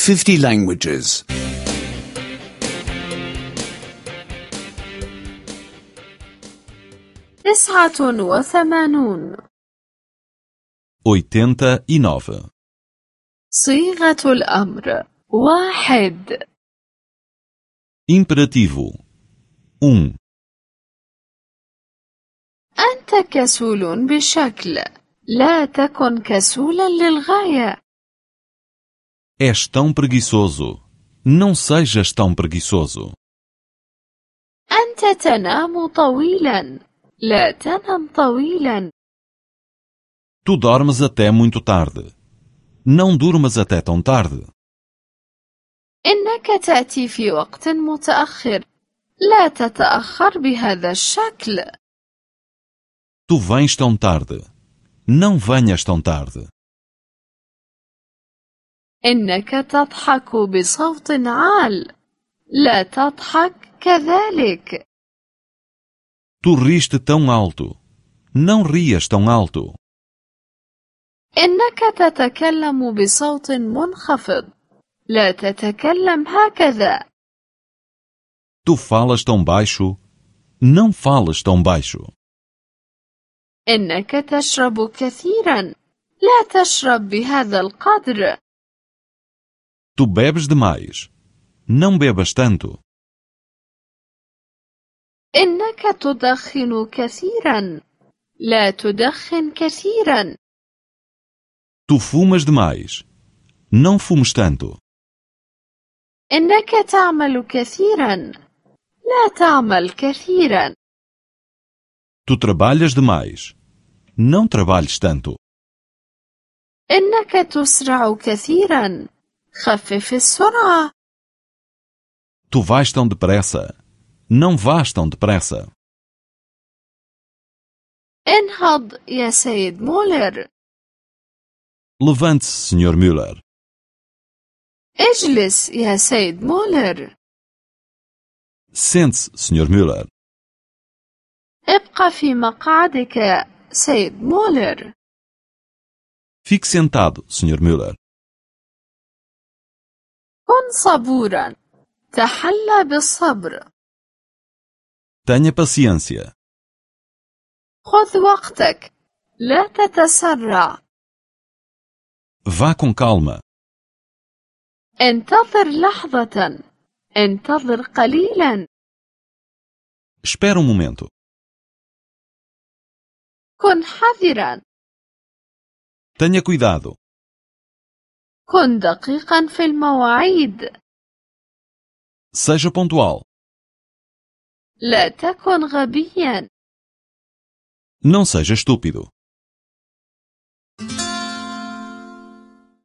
50 languages. 89. 89. صيغة الأمر 1. Imperativo 1. أنت كسول بشكل، لا تكن كسولا للغاية. És tão preguiçoso. Não sejas tão preguiçoso. أنت تنام طويلا، لا تنم طويلا. Tu dormes até muito tarde. Não durmas até tão tarde. إنك تأتي في وقت متأخر، لا تتأخر بهذا الشكل. Tu vens tão tarde. Não venhas tão tarde. إنك تضحك بصوت عال، لا تضحك كذلك. Tu riste tão alto. Não rias tão alto. إنك تتكلم بصوت منخفض، لا تتكلم هكذا. Tu falas tão baixo. Não falas tão baixo. إنك تشرب كثيرا، لا تشرب بهذا القدر. Tu bebes demais. Não bebas tanto. إنك تدخن كثيرا، لا تدخن كثيرا. Tu fumas demais. Não fumes tanto. إنك تعمل كثيرا، لا تعمل كثيرا. Tu trabalhas demais. Não trabalhes tanto. إنك تسرع كثيرا، خفف السرعة. Tu vais tão depressa. Não vás tão depressa. انهض يا سيد مولر. Levante-se, Sr. Müller. اجلس يا سيد مولر. Sente-se, Sr. Müller. ابقى في مقعدك يا سيد مولر. Fique sentado, Sr. Müller. كن صبورا، تحلى بالصبر. Tenha paciência. خذ وقتك، لا تتسرع. Vá com calma. انتظر لحظة، انتظر قليلا. Espera um momento. كن حذرا. Tenha cuidado. كن دقيقا في المواعيد. Seja pontual. لا تكن غبيا. Não seja estúpido.